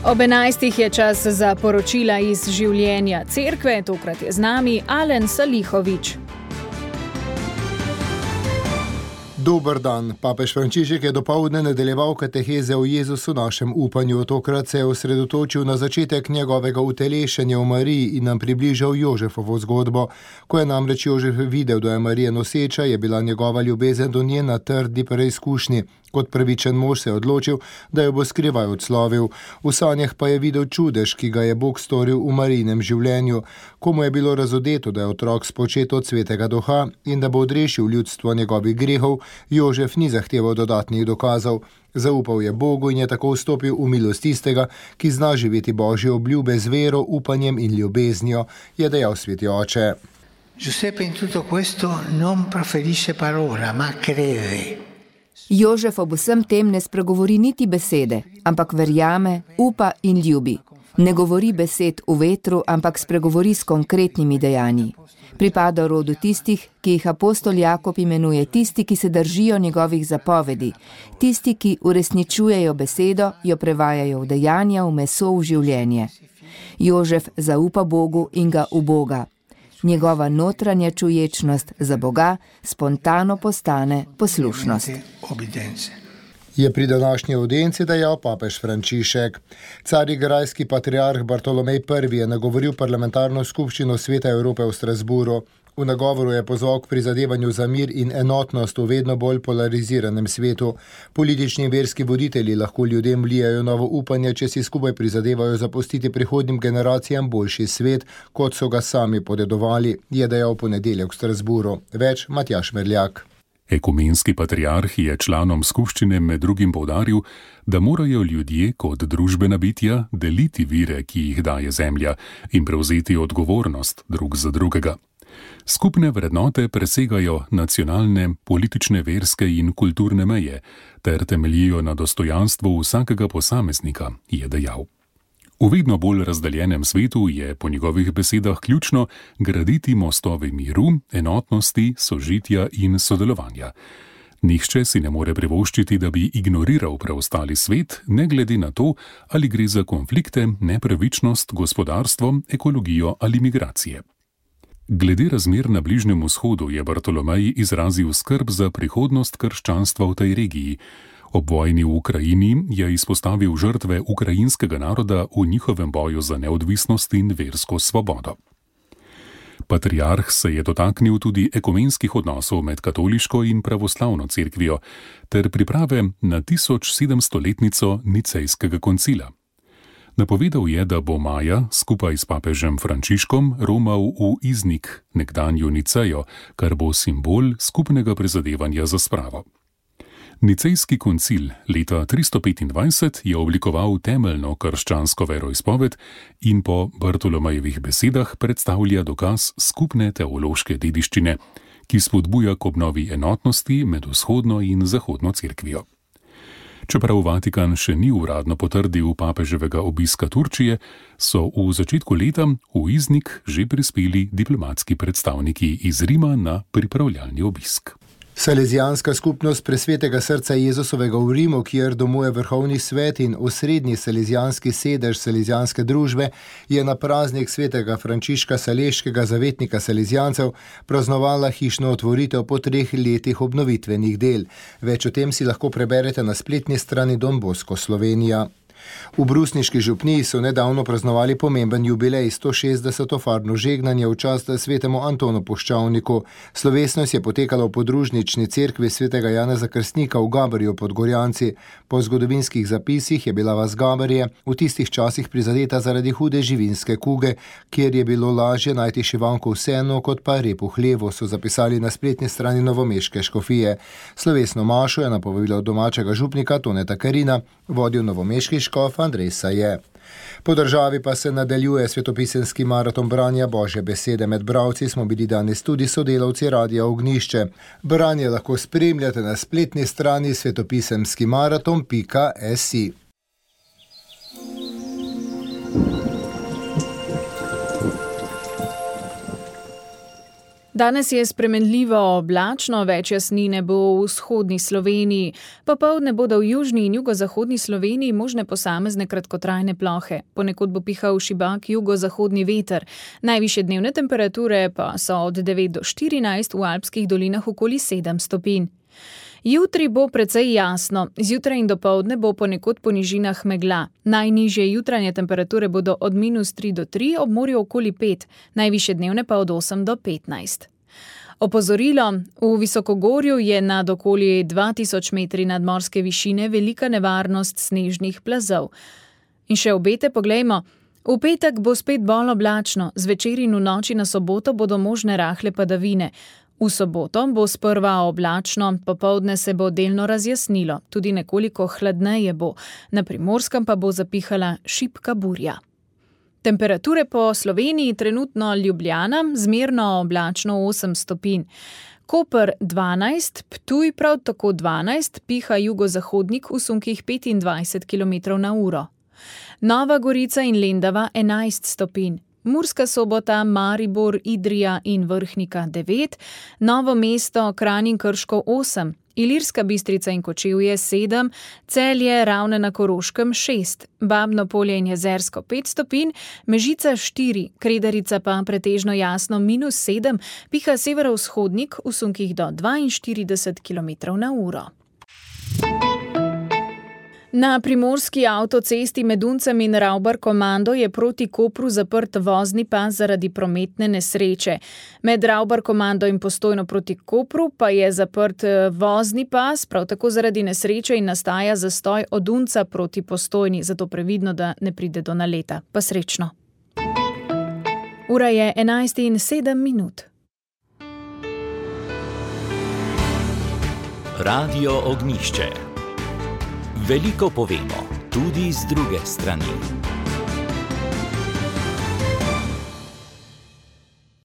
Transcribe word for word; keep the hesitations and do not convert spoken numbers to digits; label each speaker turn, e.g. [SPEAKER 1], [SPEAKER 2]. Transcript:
[SPEAKER 1] Ob enajstih je čas za poročila iz življenja cerkve, tokrat je z nami Alen Salihovič.
[SPEAKER 2] Dober dan. Papež Frančišek je dopoldne nadaljeval kateheze o Jezusu našem upanju. Tokrat se je osredotočil na začetek njegovega utelešenja v Mariji in nam približal Jožefovo zgodbo. Ko je namreč Jožef videl, da je Marija noseča, je bila njegova ljubezen do nje na trdi preizkušnji. Kot pravičen mož se je odločil, da jo bo skrivaj odslovil. V sanjah pa je videl čudež, ki ga je Bog storil v Marijinem življenju. Komu je bilo razodeto, da je otrok spočet od svetega duha in da bo odrešil ljudstvo njegovih grehov, Jožef ni zahteval dodatnih dokazov. Zaupal je Bogu in je tako vstopil v milost tistega, ki zna živeti Božje obljube z vero, upanjem in ljubeznijo, je dejal sveti oče.
[SPEAKER 3] Giuseppe in tutto questo non proferisce parola, ma crede.
[SPEAKER 4] Jožef ob vsem tem ne spregovori niti besede, ampak verjame, upa in ljubi. Ne govori besed v vetru, ampak spregovori s konkretnimi dejanji. Pripada rodu tistih, ki jih apostol Jakob imenuje tisti, ki se držijo njegovih zapovedi, tisti, ki uresničujejo besedo, jo prevajajo v dejanja, v meso, v življenje. Jožef zaupa Bogu in ga uboga. Njegova notranja čuječnost za Boga spontano postane poslušnost.
[SPEAKER 2] Je pri današnji audienci dejal papež Frančišek. Carigrajski patriarh Bartolomej Prvi je nagovoril parlamentarno skupščino Sveta Evrope v Strasburu. V nagovoru je pozval k prizadevanju za mir in enotnost v vedno bolj polariziranem svetu. Politični in verski voditelji lahko ljudem vlijajo novo upanje, če si skupaj prizadevajo zapustiti prihodnjim generacijam boljši svet, kot so ga sami podedovali, je dejal v ponedeljek v Strasburu. Več Matjaž Merljak.
[SPEAKER 5] Ekumenski patriarh je članom skupščine med drugim poudaril, da morajo ljudje kot družbena bitja deliti vire, ki jih daje zemlja, in prevzeti odgovornost drug za drugega. Skupne vrednote presegajo nacionalne, politične, verske in kulturne meje ter temeljijo na dostojanstvu vsakega posameznika, je dejal. V vedno bolj razdeljenem svetu je po njegovih besedah ključno graditi mostove miru, enotnosti, sožitja in sodelovanja. Nihče si ne more privoščiti, da bi ignoriral preostali svet, ne glede na to, ali gre za konflikte, nepravičnost, gospodarstvo, ekologijo ali migracije. Glede razmer na Bližnjem vzhodu je Bartolomej izrazil skrb za prihodnost krščanstva v tej regiji. Ob vojni v Ukrajini je izpostavil žrtve ukrajinskega naroda v njihovem boju za neodvisnost in versko svobodo. Patriarh se je dotaknil tudi ekumenskih odnosov med katoliško in pravoslavno cerkvijo ter priprave na tisoč sedemstoletnico Nicejskega koncila. Napovedal je, da bo maja skupaj s papežem Frančiškom romal v Iznik, nekdanjo Nicejo, kar bo simbol skupnega prizadevanja za spravo. Nicejski koncil leta tristo petindvajset je oblikoval temeljno krščansko veroizpoved in po Bartolomejevih besedah predstavlja dokaz skupne teološke dediščine, ki spodbuja k obnovi enotnosti med vzhodno in zahodno cerkvijo. Čeprav Vatikan še ni uradno potrdil papeževega obiska Turčije, so v začetku leta v Iznik že prispeli diplomatski predstavniki iz Rima na pripravljalni obisk.
[SPEAKER 2] Salezijanska skupnost Presvetega srca Jezusovega v Rimu, kjer domuje vrhovni svet in osrednji salezijanski sedež salezijanske družbe, je na praznik svetega Frančiška Saleškega, zavetnika salezijancev, praznovala hišno otvoritev po treh letih obnovitvenih del. Več o tem si lahko preberete na spletni strani Don Bosco Slovenija. V brusniški župniji so nedavno praznovali pomemben jubilej, sto šestdeseto farno žegnanje v čast svetemu Antonu Puščavniku. Slovesnost je potekala v podružnični cerkvi svetega Janeza Krstnika v Gabarju pod Gorjanci. Po zgodovinskih zapisih je bila vas Gabarje v tistih časih prizadeta zaradi hude živinske kuge, kjer je bilo lažje najti šivanko v senu kot pa rep v hlevu, so zapisali na spletni strani novomeške škofije. Slovesno mašo je napovedal domačega župnika Toneta Karina, vodil novomeški škof Andrej Saje. Po državi pa se nadaljuje svetopisemski maraton branja Božje besede. Med bralci smo bili danes tudi sodelavci Radia Ognjišče. Branje lahko spremljate na spletni strani svetopisemski maraton pika si.
[SPEAKER 1] Danes je spremenljivo oblačno, več jasnine bo v vzhodni Sloveniji. Popoldne bodo v južni in jugozahodni Sloveniji možne posamezne kratkotrajne plohe. Ponekod bo pihal šibak jugozahodni veter. Najvišje dnevne temperature pa so od devet do štirinajst, v alpskih dolinah okoli sedem stopinj. Jutri bo precej jasno, zjutraj in dopoldne bo ponekod po nižinah megla. Najnižje jutranje temperature bodo od minus tri do tri, ob morju okoli pet, najvišje dnevne pa od osem do petnajst. Opozorilo, v visokogorju je nad okoli dva tisoč metri nadmorske višine velika nevarnost snežnih plazov. In še obete poglejmo. V petek bo spet bolj oblačno, zvečer in v noči na soboto bodo možne rahle padavine. V soboto bo sprva oblačno, popoldne se bo delno razjasnilo, tudi nekoliko hladneje bo, na Primorskem pa bo zapihala šibka burja. Temperature po Sloveniji trenutno Ljubljana, zmerno oblačno osem stopinj. Koper dvanajst, Ptuj prav tako dvanajst, piha jugozahodnik v sunkih petindvajset kilometrov na uro. Nova Gorica in Lendava enajst stopinj. Murska Sobota, Maribor, Idrija in Vrhnika devet, Novo mesto, Kranj in Krško osem, Ilirska Bistrica in Kočevje sedem, Celje, Ravne na Koroškem šest, Babno Polje in Jezersko pet stopinj, Mežica štiri, Kredarica pa pretežno jasno minus sedem, piha severovzhodnik v sunkih do dvainštirideset kilometrov na uro. Na primorski avtocesti med Uncem in Ravbar-Komando je proti Kopru zaprt vozni pas zaradi prometne nesreče. Med Ravbar-Komando in Postojno proti Kopru pa je zaprt vozni pas, prav tako zaradi nesreče in nastaja zastoj od Unca proti Postojni, zato previdno, da ne pride do naleta. Pa srečno. Ura je enajst in sedem minut.
[SPEAKER 6] Radio Ognjišče. Veliko povemo, tudi z druge strani.